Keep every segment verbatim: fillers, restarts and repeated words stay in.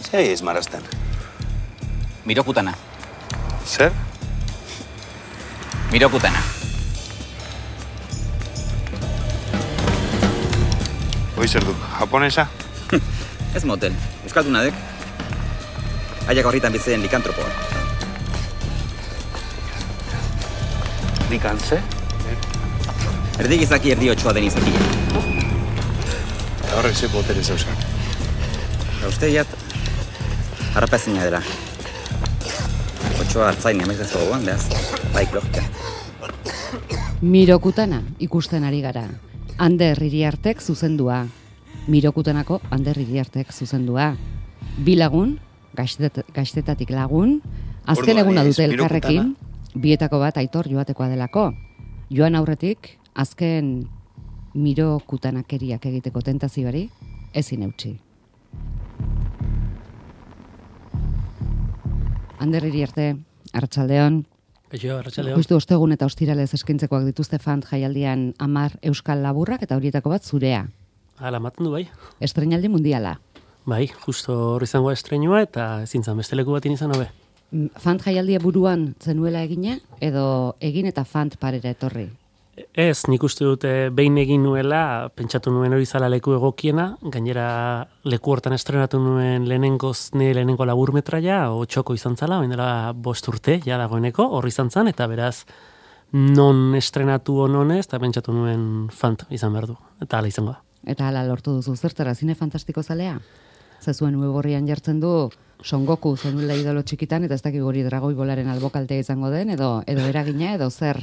Zer ari izmarazten? Mirokutana. Zer? Mirokutana. Hoi zer du, japonesa? Ez moten, euskaldunadek. Aiak horritan bitzen likantropoa. Likantze? Erdi gizaki erdi otxoa den izakia. Eta horrek ze botere zeuzak. Eta uste jat, harrapazina dela. Otxoa hartzain amezazko gogoan, behaz, baik logika. Mirokutana ikusten ari gara. Ander Iriartek zuzendua. Mirokutanako Ander Iriartek zuzendua. Bi lagun, gaztet, gaztetatik lagun, azken eguna dute elkarrekin, bietako bat Aitor joatekoa delako. Joan aurretik, azken mirokutanakeriak egiteko tentazioari, ezin eutsi. Ander Iriarte, Arratsaldeon. Eixo, Arratsaldeon. Justu ostegun eta ostiralez eskaintzekoak dituzte Fant jaialdian hamar euskal laburrak eta horietako bat zurea. Hala, maten du bai. Estreinaldi mundiala. Bai, justo hor izango estreinua eta ezin zan beste leku batin izan hobe. Fant jaialdia buruan zenuela egina edo egin eta Fant parera etorri? Ez, nik uste dute behin egin nuela, pentsatu nuen hori zala leku egokiena, gainera leku hortan estrenatu nuen lehenengoz ne lehenengo laburmetraia, otxoko izan zala, baina dela bost urte, ja dagoeneko, horri izan zan, eta beraz, non estrenatu hononez, eta pentsatu nuen Fant izan behar du, eta hala izango da. Eta hala lortu duzu, zertara zine fantastiko zalea? Zezuen web jartzen du, Son Goku zenuela idolo txikitan, eta ez dakik hori dragoi bolaren albokaltea izango den, edo, edo eragina, edo zer?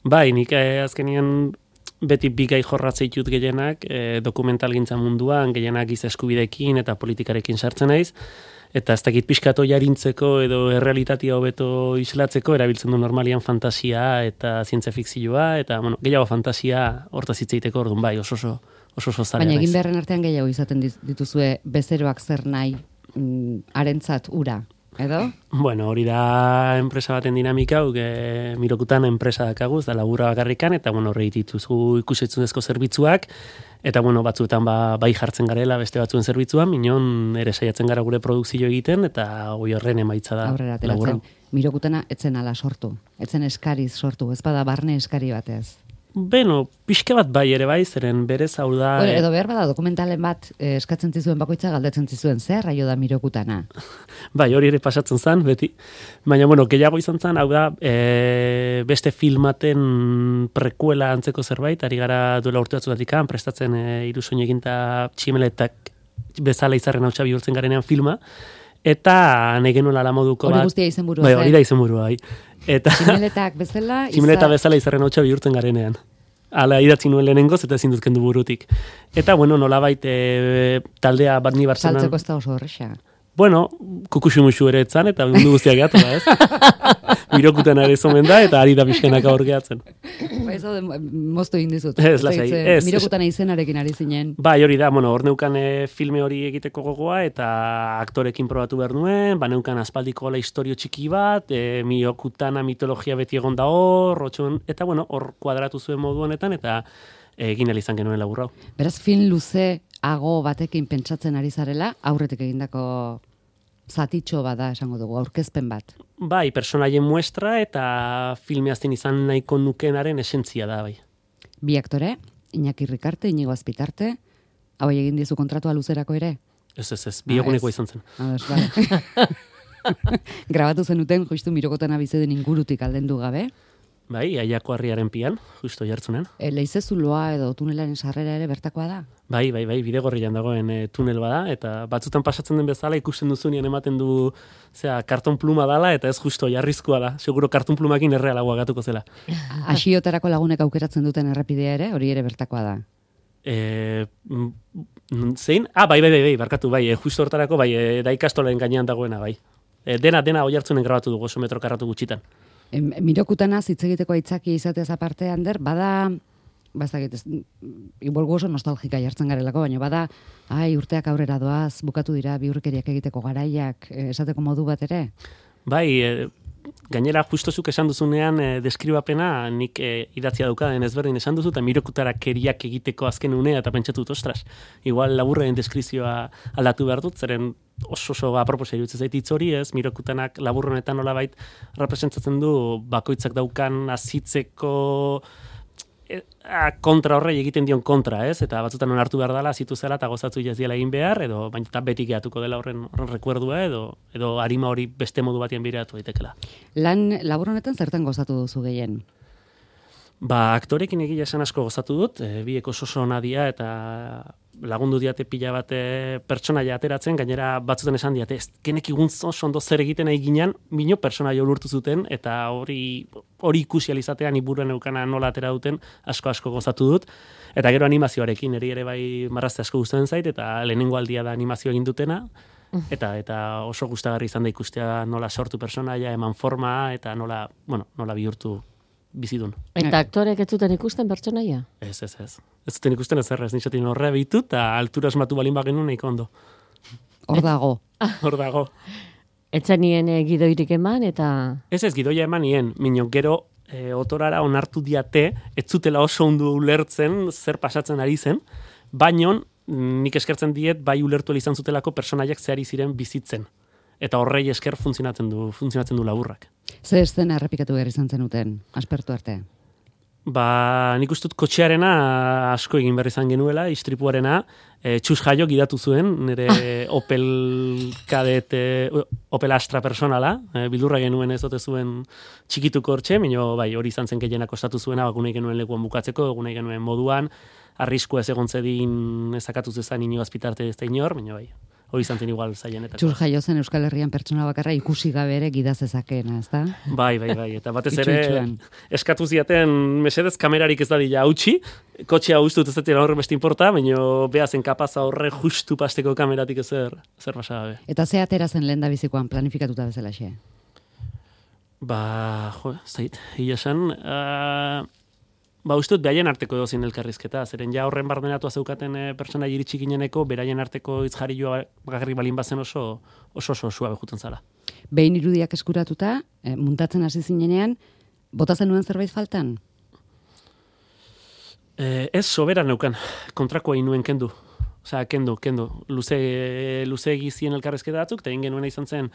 Bai, nik eh, azkenien beti bigai jorratzea ditut gehienak, eh, dokumentalgintza munduan, gehienak giza eskubidekin eta politikarekin sartzen naiz, eta ez dakit pixkato jarintzeko edo errealitatea hobeto islatzeko, erabiltzen du normalian fantasia eta zientzia fikzioa, eta bueno, gehiago fantasia hortaz hitz egiteko orduan bai, oso oso oso oso zalea naiz. Baina egin beharren artean gehiago izaten dituzue bezeroak zer nahi mm, harentzat ura, edo? Bueno, hori da enpresa baten dinamika, hau, e, mirokutan enpresa dakaguz, da laburra bakarrikan, eta bueno, horre dituzu ikusetzunezko zerbitzuak, eta bueno, batzuetan ba, bai jartzen garela beste batzuen zerbitzuan, minon ere saiatzen gara gure produkzio egiten, eta hoi horren emaitza da aurrera laburra. ateratzen. Mirokutana etzen ala sortu, etzen eskariz sortu, ez bada barne eskari batez. Beno, pixka bat bai ere bai, zeren berez hau da... Bueno, edo behar bada dokumentalen bat eh, eskatzen zizuen bakoitza galdetzen zizuen, zer raio da Mirokutana? Bai, hori ere pasatzen zen, beti. Baina, bueno, gehiago izan zen, hau da, e, beste filmaten prekuela antzeko zerbait, ari gara duela urte batzutatik prestatzen e, irusoin eginta tximeletak bezala izarren hautsa bihurtzen garenean filma, eta negenuela la moduko bat... Hori guztia izenburua, bai, hori da izenburua, bai. Eta tximeletak bezala... tximeleta bezala izarren hautsa bihurtzen garenean. Hala, idatzi nuen lehenengoz eta ezin dut kendu burutik. Eta, bueno, nolabait e, taldea bat ni Bartzenan... Saltzeko ez da oso horrexa. Bueno, kukuxumuxu ere etzan, eta mundu guztiak gehiatu da, ez? Mirokutan ere zomen da, eta ari da pixkanaka hor gehatzen. Ba, ez da, moztu egin dizut. Ez, lasai, ez. Mirokutana izenarekin ari zinen. Bai, hori da, bueno, hor neukan e, filme hori egiteko gogoa, eta aktorekin probatu behar nuen, ba neukan aspaldiko la historio txiki bat, e, Mirokutana mitologia beti egon da hor, rotxon, eta bueno, hor kuadratu zuen modu honetan, eta egin izan genuen laburrau. Beraz, film luze ago batekin pentsatzen ari zarela, aurretik egindako zatitxo bada esango dugu, aurkezpen bat. Bai, personaien muestra eta filme azten izan nahiko nukenaren esentzia da, bai. Bi aktore, Iñaki Rikarte, Inigo Azpitarte, hau egin dizu kontratua luzerako ere? Ez, ez, ez, bi eguneko izan zen. Ah, ez, bale. Grabatu zenuten, justu Mirokutana bizeden ingurutik aldendu gabe. Bai, Aiako harriaren pian, justo jartzunen. E, Leizezuloa edo tunelaren sarrera ere bertakoa da? Bai, bai, bai, bidegorrian dagoen e, tunel bada, eta batzutan pasatzen den bezala ikusten duzunean ematen du, zera, karton pluma dala, eta ez justo jarrizkoa da. Seguro karton plumakin errealagoa gatuko zela. Asiotarako lagunek aukeratzen duten errepidea ere, hori ere bertakoa da? E, zein? Ah, bai, bai, bai, bai, barkatu, bai, e, justo hortarako, bai, e, da ikastolen gainean dagoena, bai. E, dena, dena hoi hartzunen grabatu dugu, oso metro karratu gutxitan. Mirokutana hitz egiteko aitzaki izateaz aparte, Ander, bada, bazakit, igual oso nostalgika jartzen garelako, baina bada, ai, urteak aurrera doaz, bukatu dira biurrikeriak egiteko garaiak, esateko modu bat ere? Bai, e, gainera justozuk esan duzunean e, deskribapena nik e, idatzia daukaden ezberdin esan duzu, eta Mirokutara keriak egiteko azken unea, eta pentsatut, ostras, igual laburren deskripzioa aldatu behar dut, zeren oso oso aproposa iruditzen zait hitz hori, ez? Mirokutanak labur honetan nolabait representatzen du bakoitzak daukan azitzeko kontra horrei egiten dion kontra, ez? Eta batzutan onartu behar dela, zitu zela eta gozatzu jaziela egin behar, edo baina eta beti gehatuko dela horren, horren rekuerdua, edo, edo harima hori beste modu batean biratu daitekela. Lan labur honetan zertan gozatu duzu gehien? Ba, aktorekin egia esan asko gozatu dut, e, biek oso oso ona dira eta lagundu diate pila bate pertsonaia ateratzen, gainera batzutan esan diate, ez genekigun oso ondo zer egiten nahi ginen, mino pertsonaia ulurtu zuten, eta hori hori ikusi alizatean iburuen eukana nola atera duten, asko asko gozatu dut, eta gero animazioarekin, eri ere bai marrazte asko gustatzen zait, eta lehenengo aldia da animazio egin dutena, eta eta oso gustagarri izan da ikustea nola sortu pertsonaia, eman forma, eta nola, bueno, nola bihurtu bizidun. Eta aktorek ez zuten ikusten pertsonaia? Ez, ez, ez. Ez zuten ikusten ez errez, nintzatin horrea bitu, eta altura esmatu balin bagenu nahiko ondo. Hor dago. Hor dago. Etzen nien e, gidoirik eman, eta... Ez ez, gidoia eman nien, minio gero e, otorara onartu diate, ez zutela oso ondo ulertzen zer pasatzen ari zen, baino nik eskertzen diet, bai ulertu izan zutelako personaiak zehari ziren bizitzen. Eta horrei esker funtzionatzen du, funtzionatzen du laburrak. Ze estena errepikatu behar izan zenuten, aspertu arte? Ba, nik ustut kotxearena asko egin behar izan genuela, istripuarena, e, txus jaio gidatu zuen, nire Opel Kadett, Opel Astra personala, e, bildurra genuen ez ote zuen txikituko hortxe, minio bai, hori izan zen gehienak kostatu zuena, bakunei genuen lekuan bukatzeko, egunei genuen moduan, arriskua ez egon zedin ezakatu zezan ino azpitarte ez da inor, minio bai. Hori izan zen igual zaienetako. Txur jaio zen Euskal Herrian pertsona bakarra ikusi gabe ere gidazezakena, ezta? Bai, bai, bai. Eta batez ere eskatu ziaten mesedez kamerarik ez dadila hautsi, kotxea ustut ez dira horre beste importa, baina behazen kapaza horre justu pasteko kameratik ezer, ezer basa gabe. Eta ze atera zen lehen da bizikoan planifikatuta bezala xe? Ba, jo, zait, hila esan... Uh, Ba, ustut, behaien arteko dozin elkarrizketa, zeren ja horren bardenatua zeukaten e, pertsona iritsi gineneko, beraien arteko itzjari joa bakarrik balin bazen oso oso oso suabe juten zala. Behin irudiak eskuratuta, e, muntatzen hasi zinenean, bota zenuen zerbait faltan? E, ez sobera neukan, kontrakoa inuen kendu. Osea, kendu, kendu. Luze, luze egizien elkarrizketa batzuk, eta egin genuena izan zen,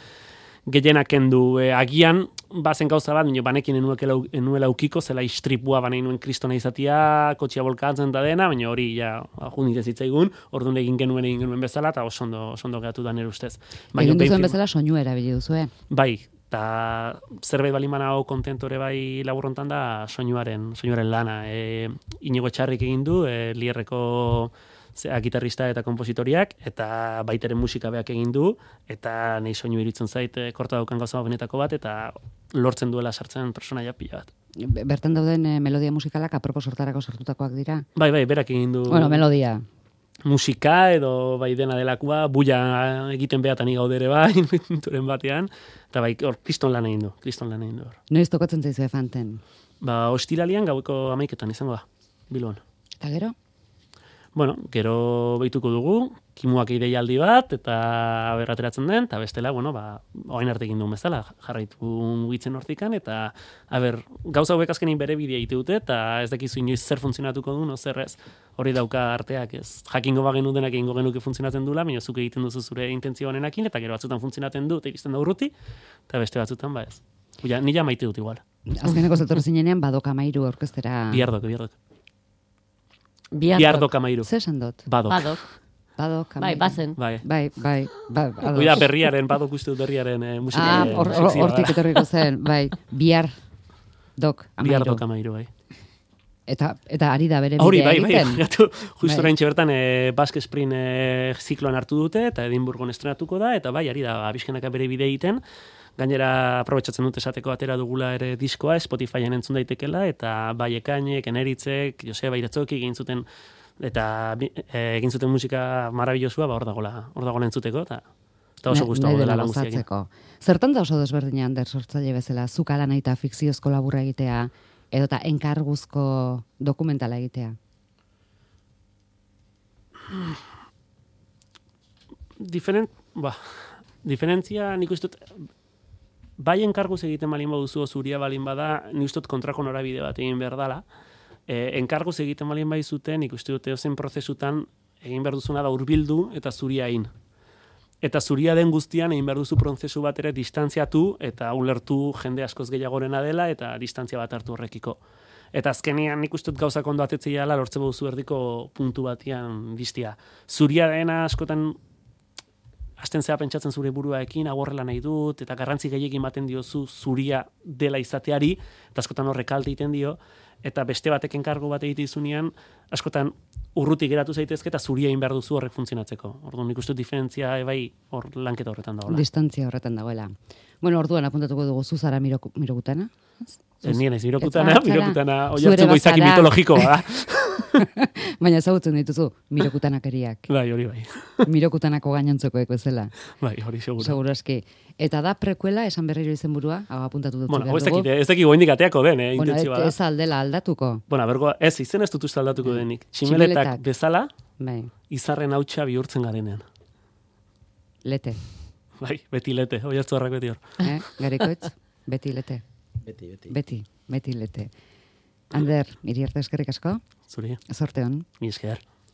gehienak kendu, e, agian, bazen gauza bat, nio banekin enuela ukiko, zela istripua banein nuen kristona izatia, kotxia bolkatzen da dena, baina hori, ja, junditen zitzaigun, orduan egin genuen egin genuen bezala, eta oso ondo, oso ondo gehatu da nire ustez. Baina, egin duzuen bezala soinu erabili duzu, eh? Bai, eta zerbait balimana hau kontentore bai laburrontan da soinuaren, soinuaren lana. E, Inigo Etxarrik egin du, e, Lierreko zea, gitarrista eta kompositoriak, eta baiteren musika beak egin du, eta nahi soinu iritzen zait e, korta daukan gauza benetako bat, eta lortzen duela sartzen personaia pila bat. Bertan dauden e, melodia musikalak apropos hortarako sortutakoak dira? Bai, bai, berak egin du... Bueno, melodia. Musika edo bai dena delakoa, buia egiten behatan igaudere bai, inventuren batean, eta bai, hor, kriston lan egin du, kriston lan egin du. Noiz tokatzen zaizu efanten? Ba, ostiralian gaueko amaiketan izango da, Bilbon. Eta gero? Bueno, gero behituko dugu, kimuak ideialdi bat, eta aber ateratzen den, eta bestela, bueno, ba, oain arte egin duen bezala, jarraitu gitzen hortikan, eta aber, gauza hauek azkenin bere bidea ite dute, eta ez dakizu inoiz zer funtzionatuko du, no zer ez, hori dauka arteak ez. Jakingo bagenu denak egingo genuke funtzionatzen dula, baina zuk egiten duzu zure intentzio honenakin, eta gero batzutan funtzionatzen du, eta iristen da urruti, eta beste batzutan, ba ez. Ja, nila maite dut igual. Azkeneko zetorre zinenean, badok amairu orkestera... Biardok, biardok. Biardok. Biardok amairu. Zer esan dut? Badok. Badok. Badok amairu. Bai, bazen. Bai. Bai, bai, bai. Oida berriaren, badok uste dut berriaren eh, musika. Ah, hortik or, or, etorriko zen, bai. Biar dok amairu. Biardok amairu, bai. Eta, eta ari da bere bidea Hori, bai, bai, egiten. gatu, justu Bai. oraintxe bertan e, Basque Spring e, zikloan hartu dute, eta Edinburgon estrenatuko da, eta bai, ari da, abiskenaka bere bidea egiten, gainera aprobetsatzen dute esateko atera dugula ere diskoa, Spotifyen entzun daitekela, eta bai Ekainek, Eneritzek, Joseba Iratzoki egin zuten, eta e, egin zuten musika marabilosua, ba hor dagoela, hor dagoela entzuteko, eta, eta oso Ne- gustago nahi dela dela lan guztia egin. gozatzeko. Zertan da oso desberdina Ander sortzaile bezala, zuk ala nahi eta fikziozko laburra egitea, edota enkarguzko dokumentala egitea? Diferent, ba, diferentzia nik uste dut, bai enkarguz egiten balin baduzu, zuria balin bada, nik uste dut kontrako norabide bat egin behar dala. E, enkarguz egiten balin bai zuten, nik uste dut edozen prozesutan egin behar duzuna da hurbildu eta zuria egin. Eta zuria den guztian egin behar duzu prozesu bat ere distantziatu eta ulertu jende askoz gehiagorena dela eta distantzia bat hartu horrekiko. Eta azkenean nik uste dut gauzak ondo atetzea dela lortze duzu erdiko puntu batian distia. Zuria dena askotan hasten zea pentsatzen zure buruaekin, agorrela nahi dut, eta garrantzi gehiagin ematen diozu zuria dela izateari, eta askotan horrek kalte egiten dio, eta beste batek enkargo bat egite izunean, askotan urrutik geratu zaitezke eta zuria egin behar duzu horrek funtzionatzeko. Orduan nik uste dut diferentzia ebai hor lanketa horretan dagoela. Distantzia horretan dagoela. Bueno, orduan apuntatuko dugu zuzara mirok, mirokutana. Ez nien ez, mirokutana, mirokutana, oi Zuere hartzuko izaki bazara. mitologikoa da. Baina ezagutzen dituzu, mirokutanakeriak. Bai, hori bai. Mirokutanako gainontzekoek bezala. Bai, hori seguro. Seguro eski. Eta da prekuela, esan berriro izenburua, hau apuntatu dut Bueno, behar ez dugu. dakit, ez dakit goendik ateako den, eh, Bueno, intentzioa et- da. ez aldela aldatuko. Bueno, bergo, ez, izen ez dut uste aldatuko denik. Tximeletak Tximeletak. bezala, Bai, izarren hautsa bihurtzen garenean. lete. Bai, beti lete, oi hartzuarrak beti hor. Eh? Garikoitz, beti lete. Beti, beti. Beti, beti lete. Ander, Iriarte eskerrik asko, Zuri, zorte hon. mi esker.